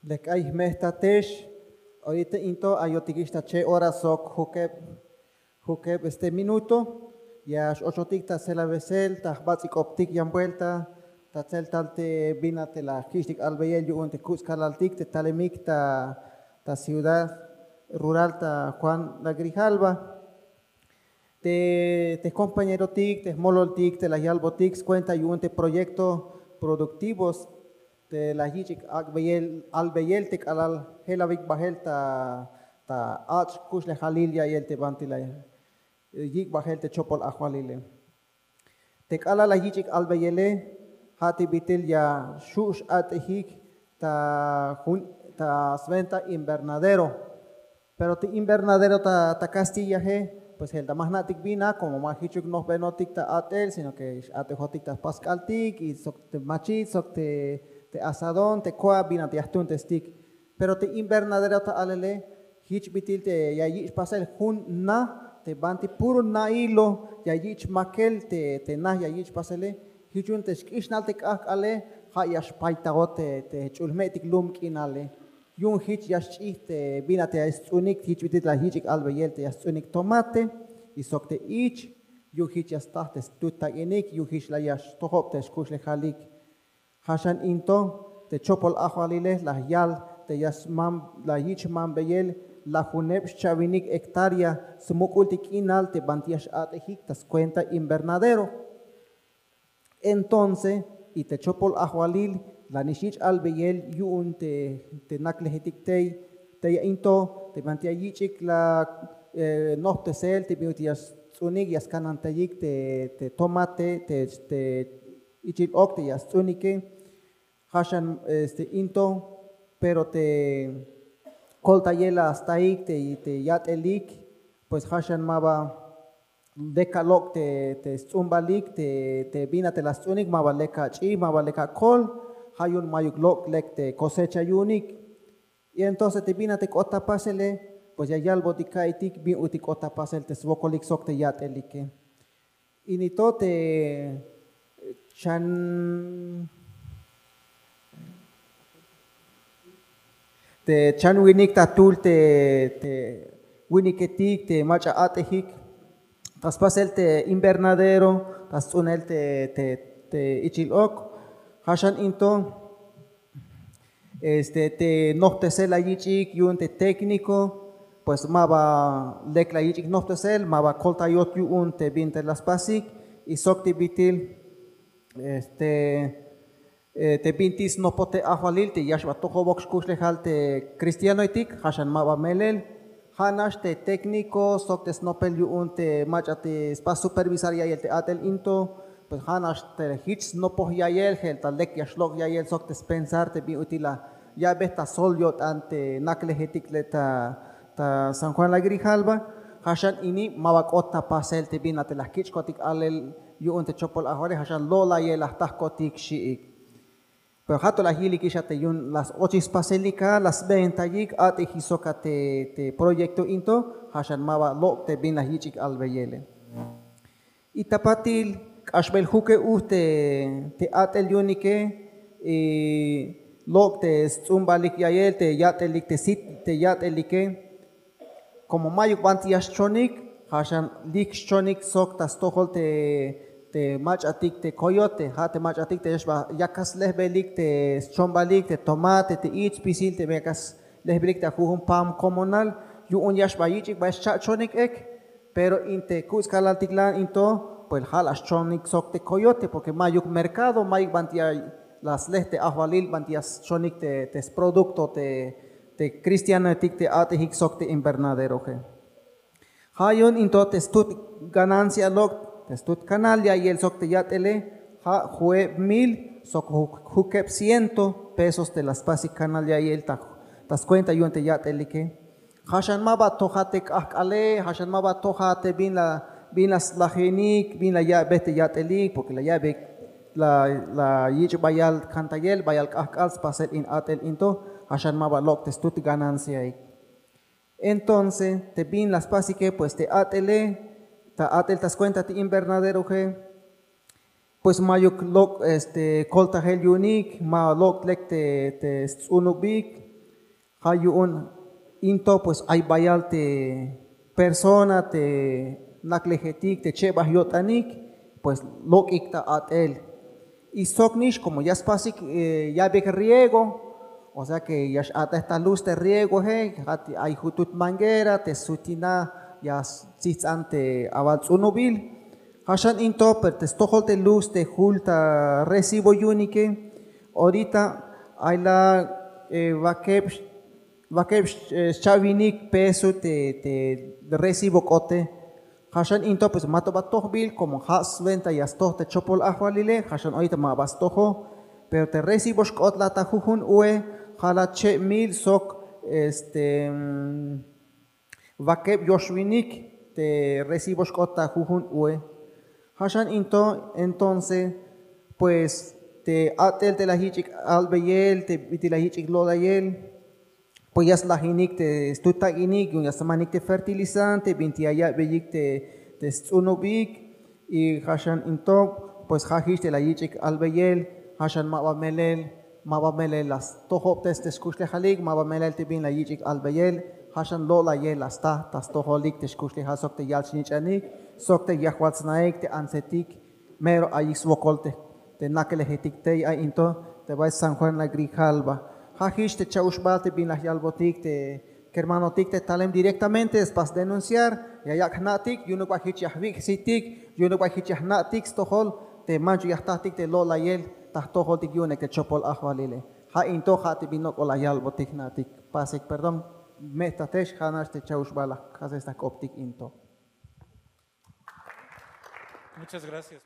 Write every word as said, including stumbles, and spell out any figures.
Lek ay jme'jtatex, orita into ayotikix ta che' hora sok jukeb jukeb este minuto. Ya x'ochotik ta selabesel ta jbats'ik'obtik yan buelta ta tseltal te bin a te la jkich'tik albeyel yu'un te kuts' kalaltik te talemik ta ta ciudad rural ta Juan la Grijalva. Te te jkompañerotik te jmololtik te la yalbotik skuenta yu'un te proyekto produktivos te la yich'ik ak'beyel albeyel te k'alal jelawik bajel ta ta ach' kuxlejalil ya'iyel te banti la yik' bajel te chopol ajwalile. Te k'alal la yich'ik albeyele ja' te bit'il ya xu' x'at'ejik ta jun ta sventa invernadero. Pero te invernadero ta kastillaje pues jelta ma jna'tik bin a komo ma jichuk nojbenotik ta at'el sino ke x'at'ejotik ta pask'altik y sok te machit sok te asadón te ko'a bin a te ya jtuntestik. Pero te invernadero ta alele jich bit'il te ya yich' pasel jun na te banti puro nailo ya yich' makel te na ya yich' pasele. Jich yu'un te xk'ixnal te k'ajk'ale ja' ya xpaytajot te jch'ul jme'tik lum k'inale. Yu'un jich ya xch'ij te bin a te ya sts'unik jich bit'il la yich'ik albeyel te ya sts'unik tomate y sok te ich. Yu'un jich ya staj te stut tak'inik yu'un jich la ya xtojob te xkuxlejalik. Ja' xan into te chopol ajwalile la yal te ya smam la yich' mambeyel lajuneb xchawinik hektárea smuk'ultik k'inal te banti ya x'at'ejik ta skuenta invernadero. Entonce y te chopol ajwalil la nix yich' albeyel yu'un te naklejetik tey tey ya into te banti ya yich'ik la nojptesel te bin ut'il ya sts'unik ya skanantayik te tomate te ichil ok te ya sts'unike. Ja' xan este into pero te koltayel la staik te yat'elik pues ja' xan ma ba lek alok' te sts'umbalik te bin a te la sts'unik ma ba lek ach'i ma ba lek akol. Ja' yu'un mayuk lok' lek te kosecha yu'unik. Y entonces te bin a te k'ot ta pasele pues ya yalbotik ka'itik bin ut'il k'ot ta pasel te swokolik sok te yat'elike. Ini to te chan te chan winik ta tul te winiketik te mach'a at'ejik ta spasel te invernadero ta sts'unel te ichil ok. Ja' xan into este te nojptesel la yich'ik yu'un te tékniko pues ma ba lek la yich'ik nojptesel ma ba koltayot yu'un te bin te la spasik y sok te bit'il este te bintik snopoj te ajwalil te ya xba tojobok xkuxlejal te cristianoetik ja' xan ma ba melel. Ja' nax te tékniko sok te snopel yu'un te mach'a te spas supervisar ya'iyel te at'el into pues ja' nax te jich snopoj ya'iyel jelta lek ya xlok' ya'iyel sok te spensar te bin ut'il la ya'bej ta sol yo'tan te naklejetik le' ta san juan la grijalva. Ja' xan ini ma ba k'ot ta pasel te bin a te la jkich'kotik alel yu'un te chopol ajwalil ja' xan lo'layel la jtajkotik xi'ik. Pero ja' to la jilikix a te yu'un la s-ochik spaselik a la sbentayik at'ejik sok a te proyekto into ja' xan ma ba lok' te bin la yich'ik albeyele. Y ta patil k'axbel jukeb uj te at'el yu'unike y lok' te sts'umbalik ya'iyel te yat'elik te sit te yat'elike. Komo mayuk banti ya xchonik ja' xan lik xchonik sok ta stojol te mach'atik te koyote ja' te mach'atik te ya xba yakas lejbelik te schombalik te tomate te ich spisil te yakas lejbelik ta jujun pam komonal. Yu'un ya xba yich'ik ba ya xcha'chonik ek. Pero in te kuts' kalaltik la'an in to pues ja' la xchonik sok te koyote porke mayuk merkado mayuk banti ya la slej te ajwalil banti ya schonik te sprodukto te te kristianoetik te a'tejik sok te invernaderoje. Ja' yu'un in to te stut ganancia lok' te stut kanal ya'iyel sok te yat'ele ja' ju'eb mil sok jukeb ciento pesos te la spasik kanal ya'iyel ta skuenta yu'un te yat'elike. Ja' xan ma ba tojat te k'ajk'ale ja' xan ma ba tojat te bin la bin la slajinik bin la ya'bej te yat'elik porke la ya'bej la yich' bayal kantayel bayal k'ajk'al spasel in at'el in to. Ja' xan ma ba lok' te stut gananciaik. Entonces te bin la spasike pues te at'ele ta at'el ta skuenta te invernaderoje pues mayuk lok' este koltajel yu'unik ma lok' lek te sts'unubik. Ja' yu'un in to pues ay bayal te persona te naklejetik te chebaj yo'tanik, pues lok'ik ta a'tel. Y sok nix como ya spasik ya'beyik riego, o sea que ya x'a'tej ta luz te riegoe. Ja' ay jutut manguera te sutina ya stsijts'an te awal ts'unubil. Ja' xan in to pero te stojol te luz te jul ta recibo yu'unike, orita ay la wakeb xcha'winik peso te recibo k'ote. Ja' xan in to pues ma to ba tojbil como ja' swenta ya stoj te chopol ajwalile. Ja' xan orita ma ba stojo, pero te recibo xk'ot la ta jujun ue ja' la cheb mil sok este wakeb yoxwinik te recibo xk'ot ta jujun ue. Ja' xan in to entonces pues te a'tel te la yich'ik albeyel te bit'il la yich'ik lo'layel, pues ya slajinik te stut tak'inik yu'un ya smanik te fertilizante binti ya ya'beyik te sts'unubik. Y ja' xan in to pues ja' jich te la yich'ik albeyel. Ja' xan ma ba melel, ma ba melel la stojobtes te skuxlejalik, ma ba melel te bin la yich'ik albeyel. Ja' xan lo'layel la sta ta stojolik te skuxlejal sok te yal snich'anik sok te yajwal snaik te antsetik. Mero ayik swokol te naklejetik tey ay in to te bay San Juan la Grijalva. Ja' jich te cha'uxbal te bin la yalbotik te kermanotik te talem directamente spas denunciar ya yak' jna'tik yu'unuk ba jich ya jwik' jsitik, yu'unuk ba jich ya jna'tik stojol te manchuk ya jtatik te lo'layel ta jtojoltik yu'unek te chopol ajwalile. Ja' in to ja' te bin nok'ol la yalbotik jna'tik. Pasik perdón, me' jtatex ja' nax te cha'uxbal la jk'asej ta jk'optik in to. Muchas gracias.